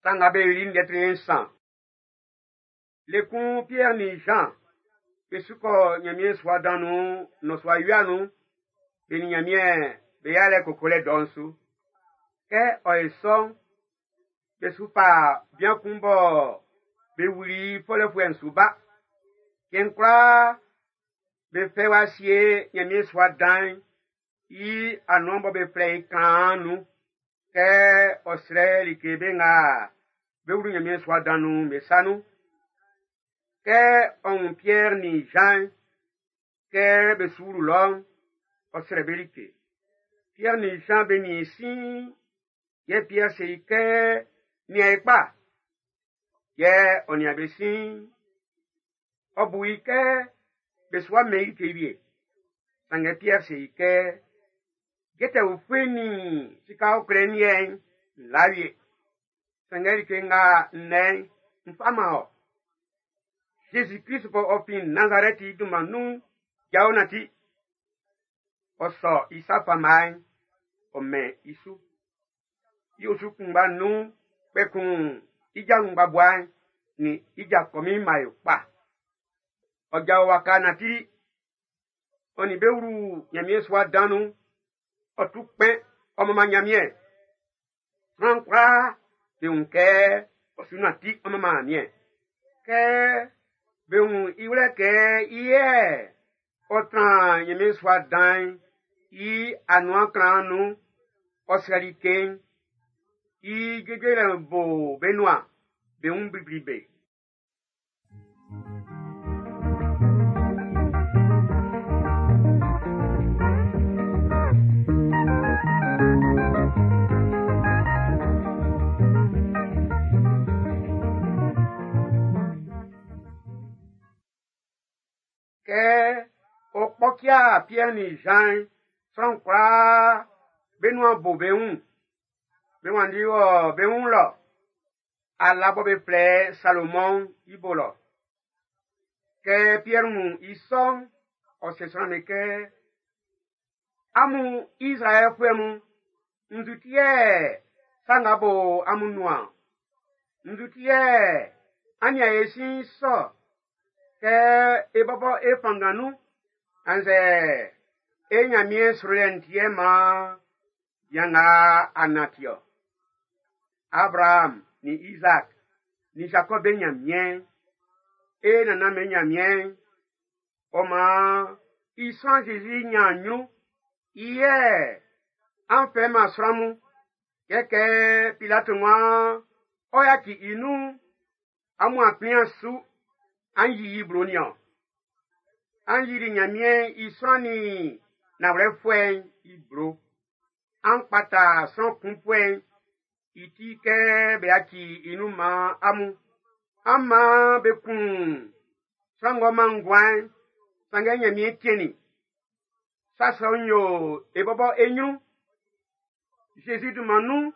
Sa Nga Be Yoli'n lɛtri 3. Le kun Piɛr nin Jean be su kɔ Ɲanmiɛn sua dan nun nnɔsua wia nun, be nin Ɲanmiɛn be yalɛ kokolɛ dɔ'n su. Kɛ ɔ ye sɔ'n, be su fa bian kun bɔ be wuli i fɔlɛfuɛ'n su ba. Cɛn kwlaa be fɛ wa sie Ɲanmiɛn sua dan'n i anuan bɔ be flɛ i kaan nun kɛ ɔ srɛ like be nga be wlu Ɲanmiɛn sua dan nun'n be sa nun. Kɛ ɔ wun Piɛr nin Jean kɛ be su wlu lɔ'n, ɔ srɛ be like. Piɛr nin Jean be nin i sin, yɛ Piɛr se i kɛ, nian e kpa. Yɛ ɔ nian be sin. Ɔ bu i kɛ be su wa mɛn i like wie. Sanngɛ Piɛr se i kɛ, jɛtɛ ufue nin sika ɔkwlɛ'n liɛ'n, n la wie. Sanngɛ like nga n lɛ'n, n fa man ɔ. Jésus Christ bɔ ɔ fin Nazarɛti dunman nun jao nanti. Ɔ sɔ i sa fama'n, ɔ mɛn i su. I osu kunngba nun, kpɛkun i ja ngbabua'n nin i ja kɔmin'n ma yo kpa. Ɔ jao waka nanti. Ɔ nin be wlu Ɲanmiɛn sua dan nun. Ɔ tu kpɛn, ɔ manman Ɲanmiɛn. Sran kwlaa be wun kɛ ɔ su nanti ɔ manman Ɲanmiɛn. Kɛ be wun i wlɛ kɛ i yɛ ɔ tran Ɲanmiɛn sua dan'n i anuan klan'n nun, ɔ srɛ like'n, i juejuelɛ'n bo be nuan, be wun blibli be. Kɛ ɔ kpɔkia Piɛr nin Jean sran kwlaa be nuan bo be wun. Be wanndi wɔ be wun lɔ. Ala bɔ be flɛ Salomɔn i bo lɔ. Kɛ Piɛr wun i sɔ'n, ɔ se sran be kɛ, amun Izraɛlfuɛ mun, nzu ti yɛ sa nga bo amun nuan? Nzu ti yɛ an nian e sin sɔ kɛ e bɔbɔ e fanngan nun, annzɛ e Ɲanmiɛn srolɛ'n ti yɛ maan bian nga a nanti-ɔ. Abraham nin Isaac nin Jacob be Ɲanmiɛn, e nannan be Ɲanmiɛn, ɔ maan i sran Zezi ɲan ɲrun, i yɛ an fɛ man sran mun, yɛ kɛ Pilati waan ɔ yaci i nun, amun a kplin su, an yi i blo niɔn. An yili Ɲanmiɛn i sran nin nanwlɛfuɛ'n i blo. An kpata sran kunfuɛ'n i ti kɛ be yaci i nun man amun. An maan be kun sran ng'ɔ man nguan'n, sanngɛ Ɲanmiɛn cɛnnin. Sa sɔ'n yo e bɔbɔ e ɲrun. Zezi dunman nun,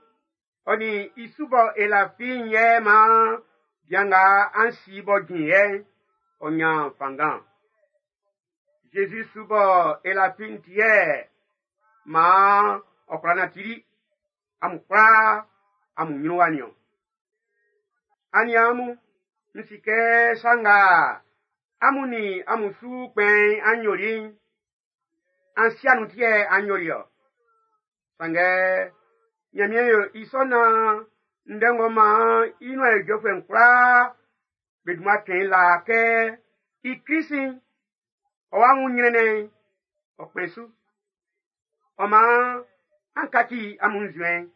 ɔ nin i su bɔ e lafi'n yɛ maan bian nga an si bɔ jin yɛ'n, ɔ ɲan fanngan. Zezi su bɔ e lafi'n ti yɛ maan ɔ kwla nantili amun kwlaa amun ɲrun wa niɔn. Aniaan mun, n si kɛ sa nga amun nin amun su kpɛn'n an yoli'n, an sia nun ti yɛ an yoli-ɔ. Sanngɛ Ɲanmiɛn yo i sɔ naan ndɛ ng'ɔ maan i nuan ijɔfuɛ'n kwlaa be dunman kɛn i laa kɛ i Klisi'n ɔ wa wun ɲrɛnnɛn'n, ɔ kpɛn su. Ɔ maan an kaci amun nzuɛn'n,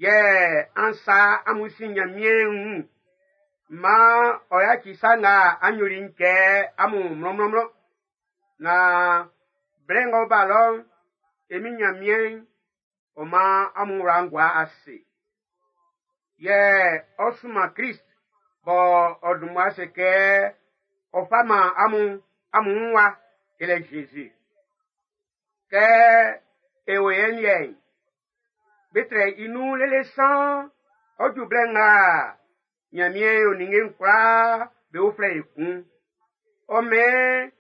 yɛ an sa amun sin Ɲanmiɛn wun. Maan ɔ yaci sa nga an yoli'n kɛ amun mlɔnmlɔnmlɔn. Naan blɛ ng'ɔ ba lɔ'n, e Min Ɲanmiɛn'n, ɔ maan amun wla'n gua ase. Yɛ ɔ sunman Krist bɔ ɔ dun mmua se kɛ ɔ fa man amun amun wun wa, yɛlɛ Zezi. Kɛ e o yɛ'n liɛ'n, be trɛ i nun lele san ɔ ju blɛ nga Ɲanmiɛn yo ninnge'n kwlaa be uflɛ ekun. Ɔ mɛn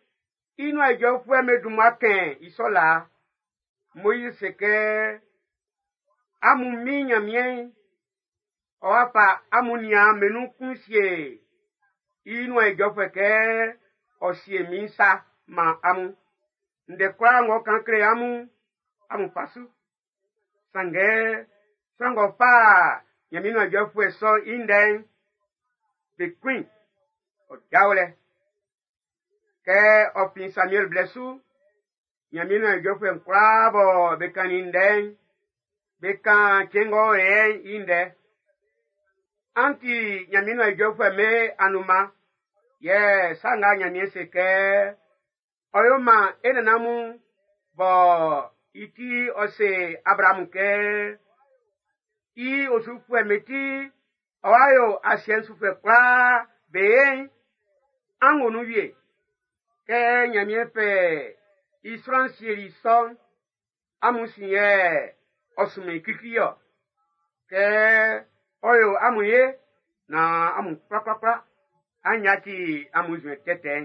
i nuan ijɔfuɛ'm be dun mmua kɛn i sɔ laa. Moizi se kɛ, amun min Ɲanmiɛn'n, Ɔ wa fa amun niaan'm be nun kun sie i nuan ijɔfuɛ kɛ ɔ sie min sa man amun. Ndɛ kwlaa ng'ɔ kan kle amun'n, amun fa su. Sanngɛ sran ng'ɔ fa Ɲanmiɛn nuan ijɔfuɛ sɔ'n i ndɛ'n, be kun i, ɔ jao lɛ. Kɛ ɔ fin Samiɛl blɛ su, Ɲanmiɛn nuan ijɔfuɛ'n kwlaa bɔ be kannin ndɛ'n, be kan cɛn ng'ɔ o yɛ'n i ndɛ. An ti Ɲanmiɛn nuan ijɔfuɛ'm be anunman, yɛ sa nga Ɲanmiɛn se kɛ ɔ yo man e nannan mun bɔ i ti ɔ se Abraamu kɛ i osufuɛ'm be ti ɔ wa yo asiɛ'n sufuɛ kwlaa be ye'n, an wo nun wie. Kɛ Ɲanmiɛn fɛ i sran sieli sɔ'n, amun sin yɛ ɔ sunmɛn i klikli ɔ. Kɛ ɔ yo amun ye naan amun kwlakwlakwla an yaci amun nzuɛn tɛtɛ'n.